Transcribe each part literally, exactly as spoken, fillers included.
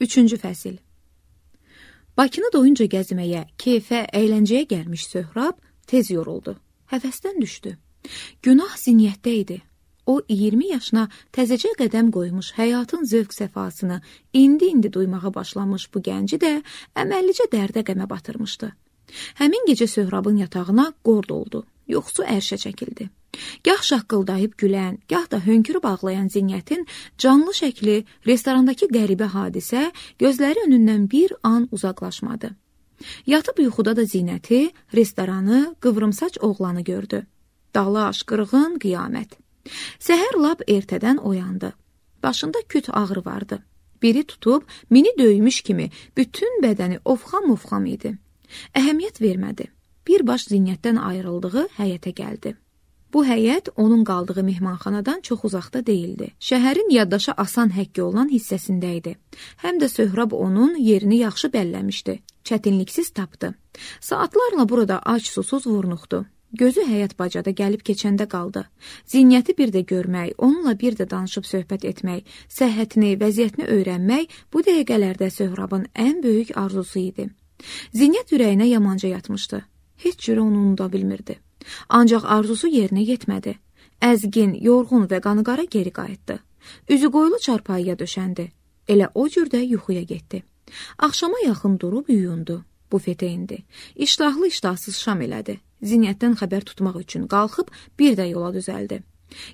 Üçüncü fəsil. Bakını doyunca gəzməyə, keyfə, əyləncəyə gəlmiş Söhrab tez yoruldu. Həvəsdən düşdü. Günah zinyətdə idi. O, iyirmi yaşına təzəcə qədəm qoymuş, həyatın zövq səfasını indi-indi duymağa başlamış bu gənci də əməllicə dərdə qəmə batırmışdı. Həmin gecə Söhrabın yatağına qord oldu, yoxsu ərşə çəkildi. Gah şaqqıldayıb gülən, gah da hönkürüb ağlayan Zinyətin canlı şəkli, restorandakı qəribə hadisə gözləri önündən bir an uzaqlaşmadı. Yatıb yuxuda da Zinəti, restoranı, qıvrımsaç oğlanı gördü. Dalaş, qırğın, qiyamət. Səhər lap ertədən oyandı. Başında küt ağrı vardı. Biri tutub, mini döymüş kimi bütün bədəni ofxam-ofxam idi. Əhəmiyyət vermədi. Birbaş Zinyətdən ayrıldığı həyətə gəldi. Bu həyət onun qaldığı mehmanxanadan çox uzaqda deyildi. Şəhərin yaddaşa asan həkk olunan hissəsində idi. Həm də Söhrab onun yerini yaxşı bəlləmişdi. Çətinliksiz tapdı. Saatlarla burada ac-susuz vurnuxdu. Gözü həyat bacada gəlib keçəndə qaldı. Zinyəti bir də görmək, onunla bir də danışıb söhbət etmək, səhhətini, vəziyyətini öyrənmək bu dəqiqələrdə Söhrabın ən böyük arzusu idi. Zinyət ürəyinə yamanca yatmışdı. Heç cürə onu unuda bilmirdi. Ancaq arzusu yerinə yetmədi. Əzgin, yorğun və qanıqara geri qayıtdı. Üzü qoyulu çarpayıya döşəndi. Elə o cürdə yuxuya getdi. Axşama yaxın durub yuyundu. Bufetə indi. İştahlı iştahsız şam elədi. Zinyətdən xəbər tutmaq üçün qalxıb bir də yola düzəldi.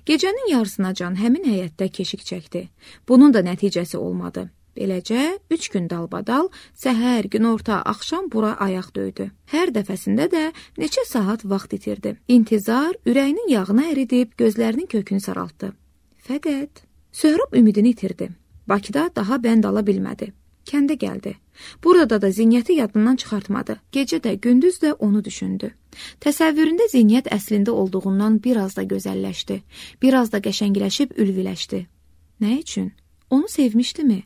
Gecənin yarısınacan həmin həyətdə keşik çəkdi. Bunun da nəticəsi olmadı. Beləcə, üç gün dalbadal, səhər, günorta, axşam bura ayaq döydü. Hər dəfəsində də neçə saat vaxt itirdi. İntizar ürəyinin yağına əridib, gözlərinin kökünü saraltdı. Fəqət Söhrab ümidini itirdi. Bakıda daha bənd ala bilmədi. Kəndə gəldi. Burada da Zinyəti yadından çıxartmadı. Gecə də, gündüz də onu düşündü. Təsəvvüründə Zinyət əslində olduğundan biraz da gözəlləşdi. Biraz da qəşəngiləşib ülviləşdi. Nə üçün? Onu sevmişdimi?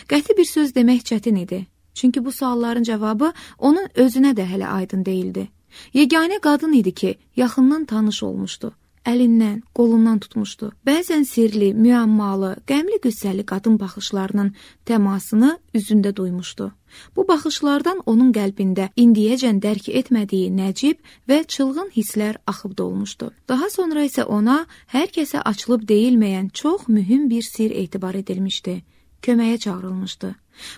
Qəti bir söz demək çətin idi. Çünki bu sualların cavabı onun özünə də hələ aydın deyildi. Yeganə qadın idi ki, yaxından tanış olmuşdu. Əlindən, qolundan tutmuşdu. Bəzən sirli, müəmmalı, qəmli qüssəli qadın baxışlarının təmasını üzündə duymuşdu. Bu baxışlardan onun qəlbində indiyəcən dərk etmədiyi nəcib və çılğın hisslər axıb dolmuşdu. Daha sonra isə ona hər kəsə açılıb deyilməyən çox mühüm bir sir etibar edilmişdi. Köməyə çağırılmışdı.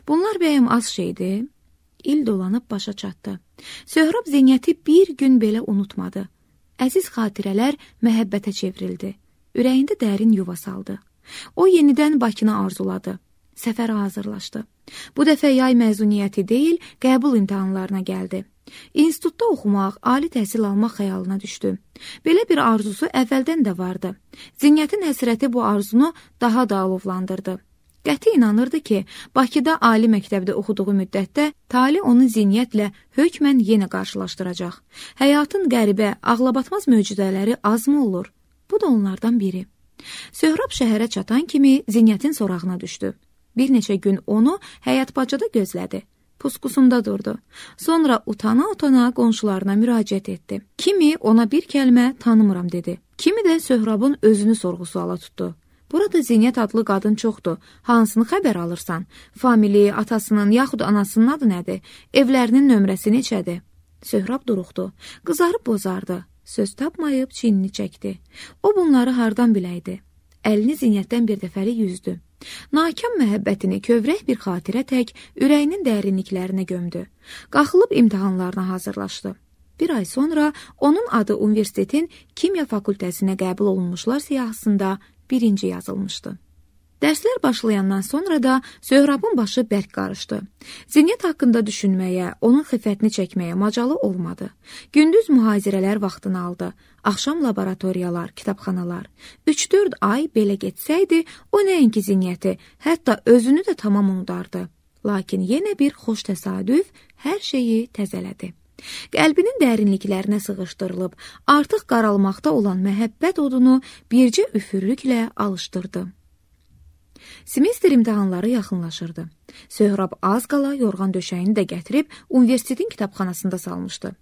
Bunlar bəyəm az şeydi? İl dolanıb başa çatdı. Söhrab Zinyəti bir gün belə unutmadı. Əziz xatirələr məhəbbətə çevrildi. Ürəyində dərin yuva saldı. O yenidən Bakını arzuladı. Səfərə hazırlaşdı. Bu dəfə yay məzuniyyəti deyil, qəbul imtahanlarına gəldi. İnstitutda oxumaq, ali təhsil almaq xəyalına düşdü. Belə bir arzusu əvvəldən də vardı. Zinyətin həsrəti bu arzunu daha da alovlandırdı. Qəti inanırdı ki, Bakıda ali məktəbdə oxuduğu müddətdə tali onu Zinyətlə hökmən yenə qarşılaşdıracaq. Həyatın qəribə, ağlabatmaz möcüzələri azmı olur? Bu da onlardan biri. Söhrab şəhərə çatan kimi Zinyətin sorağına düşdü. Bir neçə gün onu həyat bacada gözlədi. Puskusunda durdu. Sonra utana-utana qonşularına müraciət etdi. Kimi ona bir kəlmə tanımıram dedi. Kimi də Söhrabın özünü sorğu-suala tutdu. Burada Zinyət adlı qadın çoxdur. Hansını xəbər alırsan? Famili, atasının, yaxud anasının adı nədir? Evlərinin nömrəsi neçədir? Söhrab duruxdu. Qızarıb bozardı. Söz tapmayıb çiynini çəkdi. O bunları hardan biləydi? Əlini Zinyətdən bir dəfəli yüzdü. Nakam məhəbbətini kövrək bir xatirə tək ürəyinin dərinliklərinə gömdü. Qalxılıb imtahanlarına hazırlaşdı. Bir ay sonra onun adı universitetin kimya fakültəsinə qəbul olunmuşlar siyahısında birinci yazılmışdı. Dərslər başlayandan sonra da Söhrabın başı bərk qarışdı. Zinyət haqqında düşünməyə, onun xiffətini çəkməyə macalı olmadı. Gündüz mühazirələr vaxtını aldı. Axşam laboratoriyalar, kitabxanalar. üç dörd ay belə getsəydi, o nəinki Zinyəti, hətta özünü də tamam unudardı. Lakin yenə bir xoş təsadüf hər şeyi təzələdi. Qəlbinin dərinliklərinə sığışdırılıb, artıq qaralmaqda olan məhəbbət odunu bircə üfürlüklə alışdırdı. Semestr imtahanları yaxınlaşırdı. Söhrab az qala yorğan döşəyini də gətirib universitetin kitabxanasında salmışdı.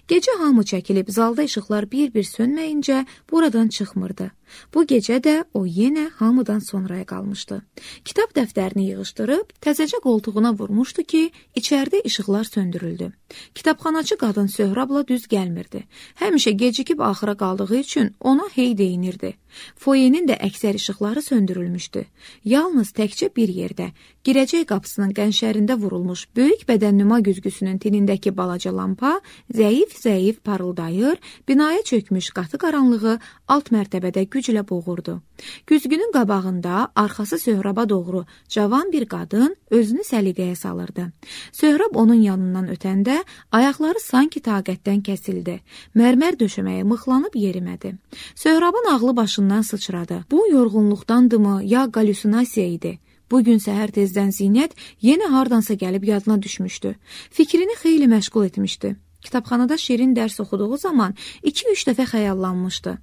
Gecə hamı çəkilib, zalda işıqlar bir-bir sönməyincə buradan çıxmırdı. Bu gecə də o yenə hamıdan sonraya qalmışdı. Kitab dəftərini yığışdırıb, təzəcə qoltuğuna vurmuşdu ki, içəridə işıqlar söndürüldü. Kitabxanaçı qadın Söhrabla düz gəlmirdi. Həmişə gecikib axıra qaldığı üçün ona hey deyinirdi. Foyenin də əksər işıqları söndürülmüşdü. Yalnız təkcə bir yerdə, girəcək qapısının qənşərində vurulmuş böyük bədənnüma güzgüsünün tinindəki balaca lampa zəif-zəif parıldayır, binaya çökmüş qatı qaranlığı alt mərtəbədə güclə boğurdu. Güzgünün qabağında, arxası Söhraba doğru cavan bir qadın özünü səliqəyə salırdı. Söhrab onun yanından ötəndə ayaqları sanki taqətdən kəsildi. Mərmər döşəməyə mıxlanıb yerimədi. Söhrabın ağlı başından sıçradı. Bu yorğunluqdandımı, ya qallüsinasiya idi? Bugün səhər tezdən Zinət yenə hardansa gəlib yadına düşmüşdü. Fikrini xeyli məşğul etmişdi. Kitabxanada şirin dərs oxuduğu zaman iki-üç dəfə xəyallanmışdı.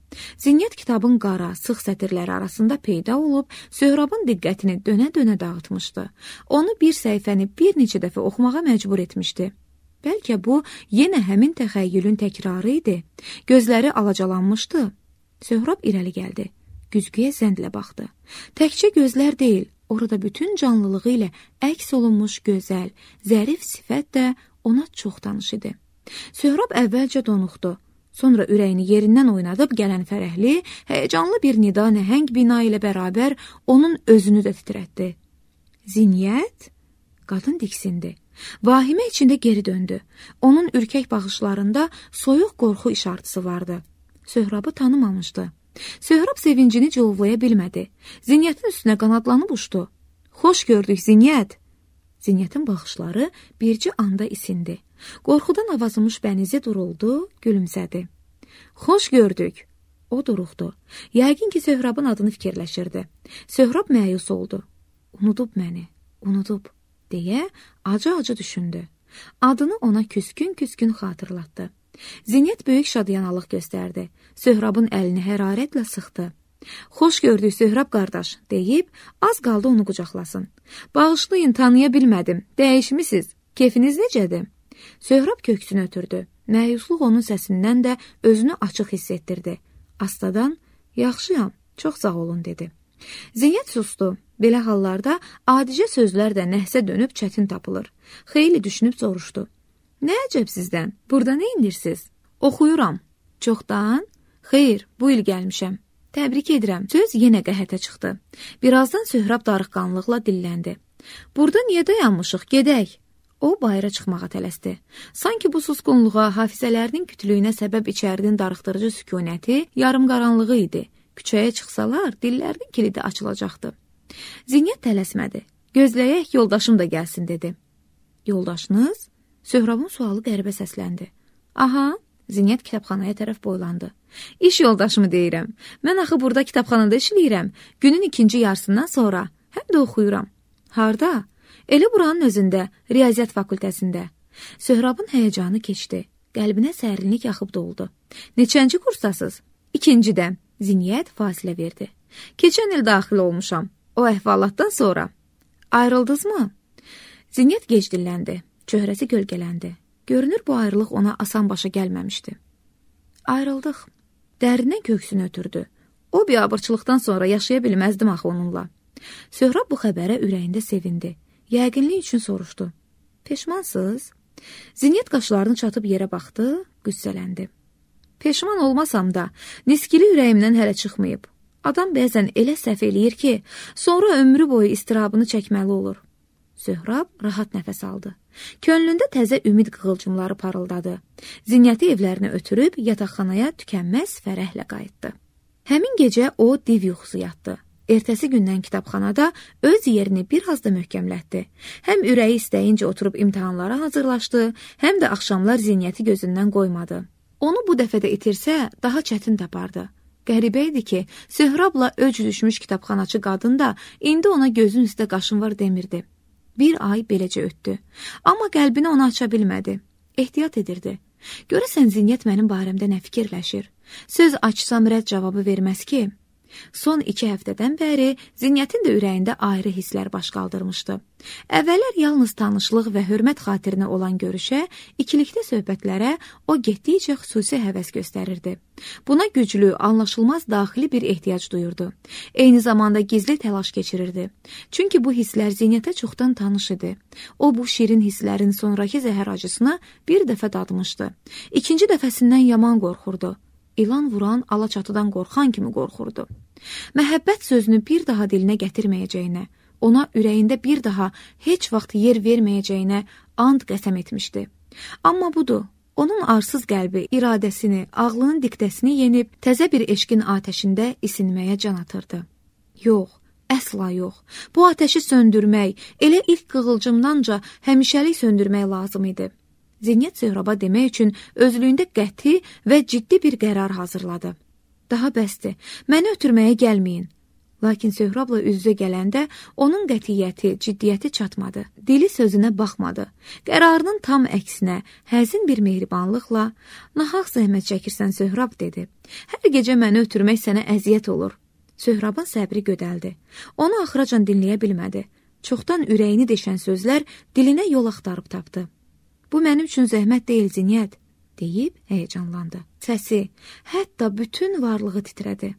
Zinət kitabın qara, sıx sətirləri arasında peyda olub, Söhrabın diqqətini dönə-dönə dağıtmışdı. Onu bir səhifəni bir neçə dəfə oxumağa məcbur etmişdi. Bəlkə bu yenə həmin təxəyyülün təkrarı idi. Gözləri alacalanmışdı. Söhrab irəli gəldi. Güzgüyə zəndlə baxdı. Təkcə gözlər deyil, orada bütün canlılığı ilə əks olunmuş gözəl, zərif sifət də ona çox tanış idi. Söhrab əvvəlcə donuxdu. Sonra ürəyini yerindən oynadıb gələn fərəhli, həyəcanlı bir nida nəhəng bina ilə bərabər onun özünü də titrətdi. Zinət? Qadın diksindi. Vahimə içində geri döndü. Onun ürkək baxışlarında soyuq qorxu işartısı vardı. Söhrabı tanımamışdı. Söhrab sevincini cıvlaya bilmədi. Zinətin üstünə qanadlanıb uçdu. Xoş gördük, Zinət. Zinətin baxışları bircə anda isindi. Qorxudan avazımış bənizi duruldu, gülümsədi. Xoş gördük. O duruxdu. Yəqin ki, Söhrabın adını fikirləşirdi. Söhrab məyus oldu. Unudub məni, unudub, deyə acı-acı düşündü. Adını ona küskün-küskün xatırlatdı. Zinət böyük şadyanalıq göstərdi. Söhrabın əlini hərarətlə sıxdı. Xoş gördük, Söhrab qardaş, deyib, az qaldı onu qucaqlasın. Bağışlayın, tanıya bilmədim, dəyişmisiniz, keyfiniz necədir? Söhrab köksünü ötürdü. Məyusluq onun səsindən də özünü açıq hiss etdirdi. Astadan, yaxşıyam, çox sağ olun, dedi. Zinət sustu. Belə hallarda adicə sözlər də nəhsə dönüb çətin tapılır. Xeyli düşünüb soruşdu. Nə əcəb sizdən? Burada nə indirsiniz? Oxuyuram. Çoxdan? Xeyr, bu il gəlmişəm. Təbrik edirəm. Söz yenə qəhətə çıxdı. Birazdan Söhrab darıqqanlıqla dilləndi. Burada niyə dayanmışıq? Gedək. O bayıra çıxmağa tələsdi. Sanki bu susqunluğa, hafizələrinin kütlüyünə səbəb içərdin darıxdırıcı sükunəti yarımqaranlığı idi. Küçəyə çıxsalar, dillərinin kilidi açılacaqdı. Zinət tələsmədi. Gözləyək, yoldaşım da gəlsin, dedi. Yoldaşınız? Söhrabın sualı qəribə səsləndi. Aha, Zinət kitabxanaya tərəf boylandı. İş yoldaşımı deyirəm. Mən axı burada kitabxanada işləyirəm. Günün ikinci yarısından sonra. Həm də oxuyuram. Harda? Elə buranın özündə, Riyaziyyat fakültəsində. Söhrabın həyəcanı keçdi. Qəlbinə sərinlik yaxıb doldu. Neçənci kursdasınız? İkincidə. Zinət fasilə verdi. Keçən il daxil olmuşam. O əhvalatdan sonra. Ayrıldınız mı? Zinət gec dilləndi. Çöhrəsi gölgələndi. Görünür, bu ayrılıq ona asan başa gəlməmişdi. Ayrıldıq. Dərindən köksünü ötürdü. O biabırçılıqdan sonra yaşaya bilməzdim axı onunla. Söhrab bu xəbərə ürəyində sevindi. Yəqinlik üçün soruşdu. Peşmansınız? Zinət qaşlarını çatıb yerə baxdı, qüssələndi. Peşman olmasam da, niskili ürəyimdən hələ çıxmayıb. Adam bəzən elə səhv eləyir ki, sonra ömrü boyu istirabını çəkməli olur. Söhrab rahat nəfəs aldı. Könlündə təzə ümid qığılcımları parıldadı. Zinəti evlərinə ötürüb yataqxanaya tükənməz fərəhlə qayıtdı. Həmin gecə o div yuxusu yatdı. Ertəsi gündən kitabxanada öz yerini bir az da möhkəmlətdi. Həm ürəyi istəyincə oturub imtahanlara hazırlaşdı, həm də axşamlar Zinəti gözündən qoymadı. Onu bu dəfə də itirsə, daha çətin tapardı. Qəribə idi ki, Söhrabla öc düşmüş kitabxanaçı qadın da indi ona gözün üstə qaşın var demirdi. Bir ay beləcə ötdü. Amma qəlbini ona aça bilmədi. Ehtiyat edirdi. Görəsən Zinət mənim barəmdə nə fikirləşir? Söz açsam rədd cavabı verməz ki. Son iki həftədən bəri Zinyətin də ürəyində ayrı hisslər baş qaldırmışdı. Əvvəllər yalnız tanışlıq və hörmət xatirinə olan görüşə, ikilikdə söhbətlərə o getdikcə xüsusi həvəs göstərirdi. Buna güclü, anlaşılmaz daxili bir ehtiyac duyurdu. Eyni zamanda gizli təlaş keçirirdi. Çünki bu hisslər Zinyətə çoxdan tanış idi. O, bu şirin hisslərin sonraki zəhər acısını bir dəfə dadmışdı. İkinci dəfəsindən yaman qorxurdu. İlan vuran, alaçatıdan qorxan kimi qorxurdu. Məhəbbət sözünü bir daha dilinə gətirməyəcəyinə, ona ürəyində bir daha heç vaxt yer verməyəcəyinə and qəsəm etmişdi. Amma budur, onun arsız qəlbi, iradəsini, ağlının diktəsini yenib təzə bir eşqin atəşində isinməyə can atırdı. Yox, əsla yox. Bu atəşi söndürmək, elə ilk qığılcımdanca həmişəlik söndürmək lazım idi. Zinyət Söhraba demək üçün özlüyündə qəti və ciddi bir qərar hazırladı. Daha bəsdir, məni ötürməyə gəlməyin. Lakin Söhrabla üz-üzə gələndə onun qətiyyəti, ciddiyyəti çatmadı. Dili sözünə baxmadı. Qərarının tam əksinə, həzin bir mehribanlıqla, nahaq zəhmət çəkirsən Söhrab dedi. Hər gecə məni ötürmək sənə əziyyət olur. Söhrabın səbri gödəldi. Onu axıracan dinləyə bilmədi. Çoxdan ürəyini deşən sözlər dilinə yol axtarıb tapdı. Bu mənim üçün zəhmət deyil Zinyət, deyib həyəcanlandı. Səsi, hətta bütün varlığı titrədi.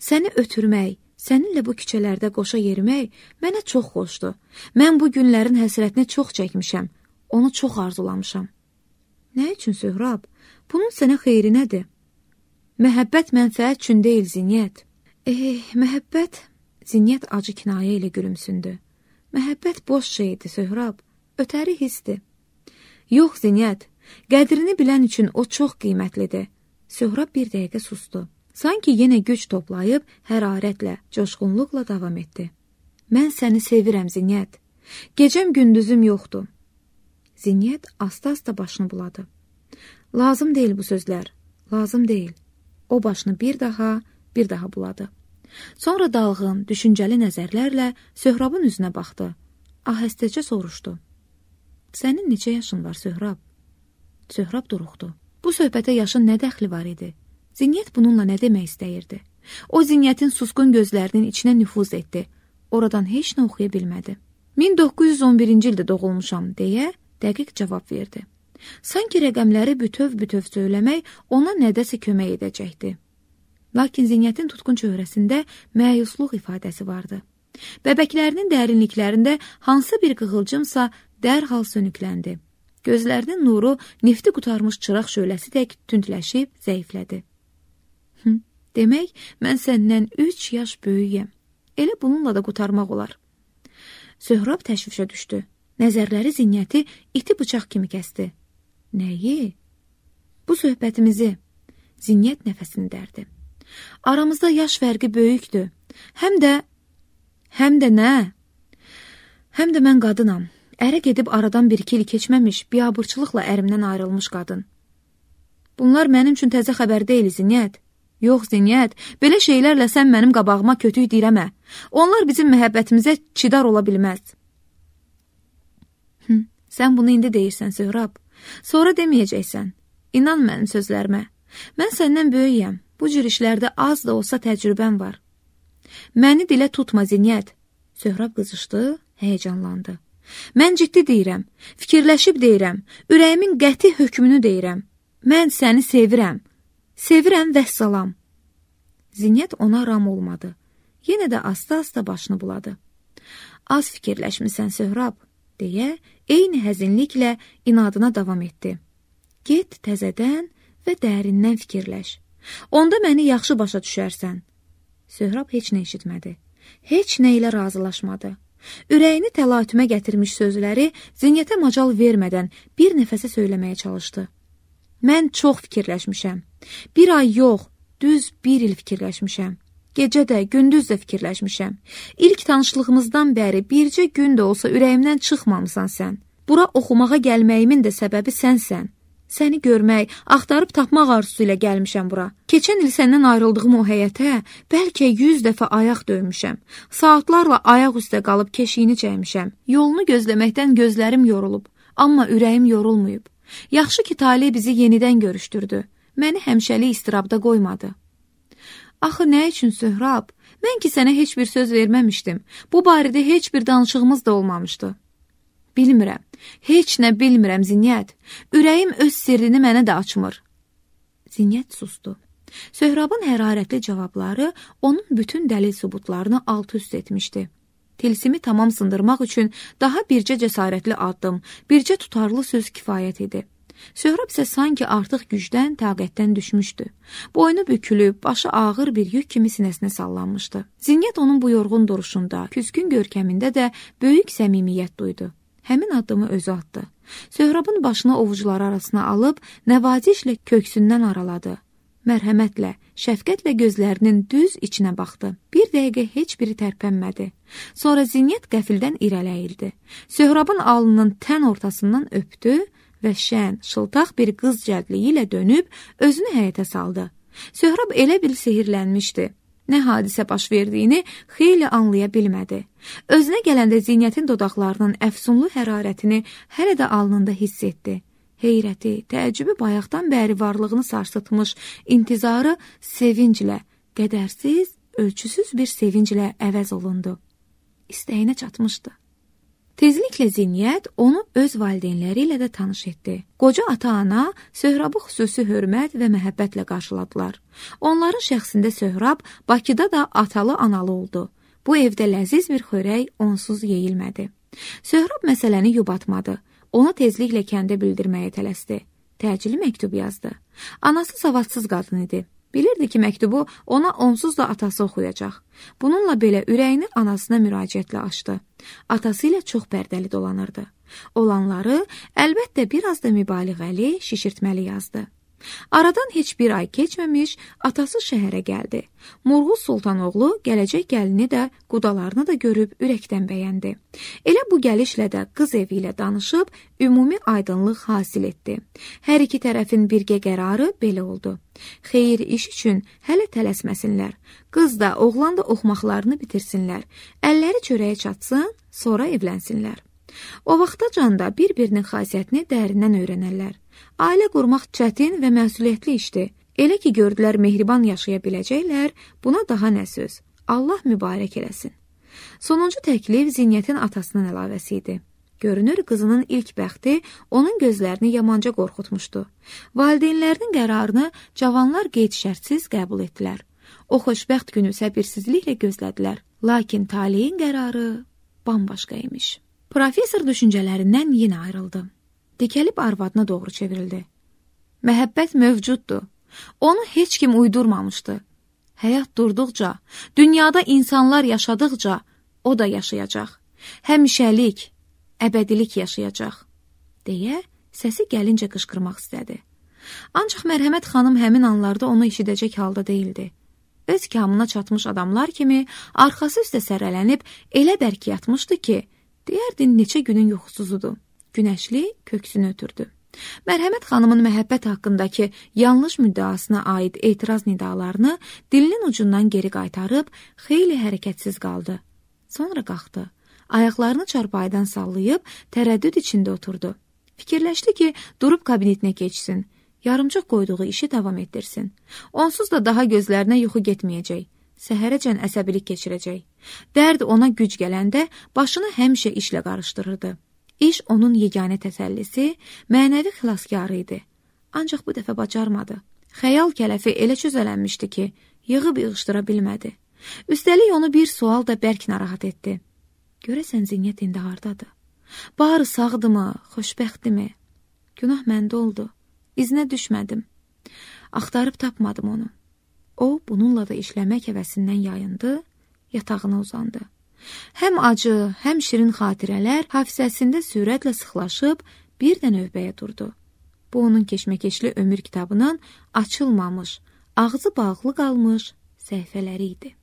Səni ötürmək, səninlə bu küçələrdə qoşa yerimək mənə çox xoşdur. Mən bu günlərin həsrətini çox çəkmişəm, onu çox arzulamışam. Nə üçün Söhrab? Bunun sənə xeyri nədir? Məhəbbət mənfəət üçün deyil Zinyət. Eh, məhəbbət, Zinyət acı kinayə ilə gülümsündü. Məhəbbət boş şeydir Söhrab, ötəri hissdir. Yox Zinyət, qədrini bilən üçün o çox qiymətlidir. Söhrab bir dəqiqə sustu. Sanki yenə güc toplayıb hərarətlə, coşqunluqla davam etdi. Mən səni sevirəm Zinyət. Gecəm gündüzüm yoxdur. Zinyət asta-asta başını buladı. Lazım deyil bu sözlər, lazım deyil. O başını bir daha, bir daha buladı. Sonra dalğın, düşüncəli nəzərlərlə Söhrabın üzünə baxdı. Ahəstəcə soruşdu. Sənin neçə yaşın var Söhrab? Söhrab duruxdu. Bu söhbətə yaşın nə dəxli var idi? Zinyət bununla nə demək istəyirdi? O Zinyətin susqun gözlərinin içinə nüfuz etdi. Oradan heç nə oxuya bilmədi. min doqquz yüz on birinci ildə doğulmuşam deyə dəqiq cavab verdi. Sanki rəqəmləri bütöv-bütöv söyləmək ona nədəsə kömək edəcəkdi. Lakin Zinyətin tutqun çöhrəsində məyusluq ifadəsi vardı. Bəbəklərinin dərinliklərində hansı bir qığılcımsa dərhal sönükləndi. Gözlərinin nuru nefti qutarmış çıraq şöləsi tək tündləşib zəiflədi. Hı, demək, mən səndən üç yaş böyüyəm. Elə bununla da qutarmaq olar. Söhrab təşvişə düşdü. Nəzərləri Zinyəti iti bıçaq kimi kəsdi. Nəyi? Bu söhbətimizi. Zinyət nəfəsini dərdi. Aramızda yaş fərqi böyükdür. Həm də, həm də nə? Həm də mən qadınam. Ərə gedib aradan bir-iki il keçməmiş, biabırçılıqla ərimdən ayrılmış qadın. Bunlar mənim üçün təzə xəbər deyil, Zinyət. Yox, Zinyət, belə şeylərlə sən mənim qabağıma kötük deyirəmə. Onlar bizim məhəbbətimizə çidar ola bilməz. Hı, sən bunu indi deyirsən, Söhrab. Sonra deməyəcəksən. İnan mənim sözlərimə. Mən səndən böyüyəm. Bu cür işlərdə az da olsa təcrübəm var. Məni dilə tutma, Zinyət. Söhrab qızışdı, həyəcanlandı. Mən ciddi deyirəm, fikirləşib deyirəm, ürəyimin qəti hökmünü deyirəm. Mən səni sevirəm, sevirəm vəssalam. Zinyət ona ram olmadı. Yenə də asta-asta başını buladı. Az fikirləşmisən Söhrab, deyə eyni həzinliklə inadına davam etdi. Get təzədən və dərindən fikirləş. Onda məni yaxşı başa düşərsən. Söhrab heç nə eşitmədi. Heç nə ilə razılaşmadı. Ürəyini təlatümə gətirmiş sözləri Zinyətə macal vermədən bir nəfəsə söyləməyə çalışdı. Mən çox fikirləşmişəm. Bir ay yox, düz bir il fikirləşmişəm. Gecə də, gündüz də fikirləşmişəm. İlk tanışlığımızdan bəri bircə gün də olsa ürəyimdən çıxmamısan sən. Bura oxumağa gəlməyimin də səbəbi sənsən. Səni görmək, axtarıb tapmaq arzusu ilə gəlmişəm bura. Keçən il səndən ayrıldığım o həyətə bəlkə yüz dəfə ayaq döymüşəm. Saatlarla ayaq üstə qalıb keşiyini çəkmişəm. Yolunu gözləməkdən gözlərim yorulub, amma ürəyim yorulmayıb. Yaxşı ki, talih bizi yenidən görüşdürdü. Məni həmişəlik istirabda qoymadı. Axı nə üçün Söhrab? Mən ki sənə heç bir söz verməmişdim. Bu barədə heç bir danışığımız da olmamışdı. Bilmirəm, heç nə bilmirəm Zinyət. Ürəyim öz sirrini mənə də açmır. Zinyət sustu. Söhrabın hərarətli cavabları onun bütün dəlil sübutlarını alt-üst etmişdi. Tilsimi tamam sındırmaq üçün daha bircə cəsarətli addım, bircə tutarlı söz kifayət idi. Söhrab isə sanki artıq gücdən, taqətdən düşmüşdü. Boynu bükülüb, başı ağır bir yük kimi sinəsinə sallanmışdı. Zinyət onun bu yorğun duruşunda, küskün görkəmində də böyük səmimiyyət duydu. Həmin addımı özü atdı. Söhrabın başını ovucuları arasına alıb, nəvazişlə köksündən araladı. Mərhəmətlə, şəfqətlə gözlərinin düz içinə baxdı. Bir dəqiqə heç biri tərpənmədi. Sonra Zinyət qəfildən irələyildi. Söhrabın alnının tən ortasından öpdü və şən, şıltaq bir qız cəldliyi ilə dönüb özünü həyətə saldı. Söhrab elə bil sehirlənmişdi. Nə hadisə baş verdiyini xeyli anlaya bilmədi. Özünə gələndə Zinyətin dodaqlarının əfsunlu hərarətini hələ də alnında hiss etdi. Heyrəti, təəccübü bayaqdan bəri varlığını sarsıtmış, intizarı sevinclə, qədərsiz, ölçüsüz bir sevinclə əvəz olundu. İstəyinə çatmışdı. Tezliklə Zinyət onu öz valideynləri ilə də tanış etdi. Qoca ata-ana Söhrabı xüsusi hörmət və məhəbbətlə qarşıladılar. Onların şəxsində Söhrab Bakıda da atalı-analı oldu. Bu evdə ləziz bir xörək onsuz yeyilmədi. Söhrab məsələni yubatmadı. Onu tezliklə kəndə bildirməyə tələsdi. Təcili məktub yazdı. Anası savadsız qadın idi. Bilirdi ki, məktubu ona onsuz da atası oxuyacaq. Bununla belə ürəyini anasına müraciətlə açdı. Atası ilə çox pərdəli dolanırdı. Olanları əlbəttə biraz da mübaliğəli, şişirtməli yazdı. Aradan heç bir ay keçməmiş atası şəhərə gəldi. Murğuz Sultanoğlu gələcək gəlini də qudalarını da görüb ürəkdən bəyəndi. Elə bu gəlişlə də qız evi ilə danışıb ümumi aydınlıq hasil etdi. Hər iki tərəfin birgə qərarı belə oldu. Xeyir iş üçün hələ tələsməsinlər. Qız da, oğlan da oxumaqlarını bitirsinlər. Əlləri çörəyə çatsın, sonra evlənsinlər. O vaxtacan da bir-birinin xasiyyətini dərindən öyrənərlər. Ailə qurmaq çətin və məsuliyyətli işdir. Elə ki, gördülər mehriban yaşaya biləcəklər, buna daha nə söz. Allah mübarək eləsin. Sonuncu təklif Zinyətin atasının əlavəsi idi. Görünür, qızının ilk bəxti onun gözlərini yamanca qorxutmuşdu. Valideynlərinin qərarını cavanlar qeyd-şərtsiz qəbul etdilər. O xoşbəxt günü səbirsizliklə gözlədilər. Lakin taleyin qərarı bambaşqa imiş. Professor düşüncələrindən yenə ayrıldı. Dikəlib arvadına doğru çevrildi. Məhəbbət mövcuddur. Onu heç kim uydurmamışdı. Həyat durduqca, dünyada insanlar yaşadıqca o da yaşayacaq. Həmişəlik, əbədilik yaşayacaq, deyə səsi gəlincə qışqırmaq istədi. Ancaq Mərhəmət xanım həmin anlarda onu eşidəcək halda değildi. Öz kamına çatmış adamlar kimi arxası üstə sərələnib elə bərk yatmışdı ki, deyərdin neçə günün yuxusuzudur. Günəşli köksünü ötürdü. Mərhəmət xanımın məhəbbət haqqındakı yanlış müddaasına aid etiraz nidalarını dilinin ucundan geri qaytarıb xeyli hərəkətsiz qaldı. Sonra qalxdı. Ayaqlarını çarpayıdan sallayıb tərəddüd içində oturdu. Fikirləşdi ki, durub kabinetinə keçsin. Yarımçıq qoyduğu işi davam etdirsin. Onsuz da daha gözlərinə yuxu getməyəcək. Səhərəcən əsəbilik keçirəcək. Dərd ona güc gələndə başını həmişə işlə qarışdırırdı. İş onun yeganə təsəllisi, mənəvi xilaskarı idi. Ancaq bu dəfə bacarmadı. Xəyal kələfi elə çözələnmişdi ki, yığıb yığışdıra bilmədi. Üstəlik onu bir sual da bərk narahat etdi. Görəsən Zinyət indi hardadır? Barı sağdımı, xoşbəxtdimi? Günah məndə oldu. İzinə düşmədim. Axtarıb tapmadım onu. O, bununla da işləmək həvəsindən yayındı, yatağına uzandı. Həm acı, həm şirin xatirələr hafizəsində sürətlə sıxlaşıb bir də növbəyə durdu. Bu onun keşməkeşli ömür kitabının açılmamış, ağzı bağlı qalmış səhifələri idi.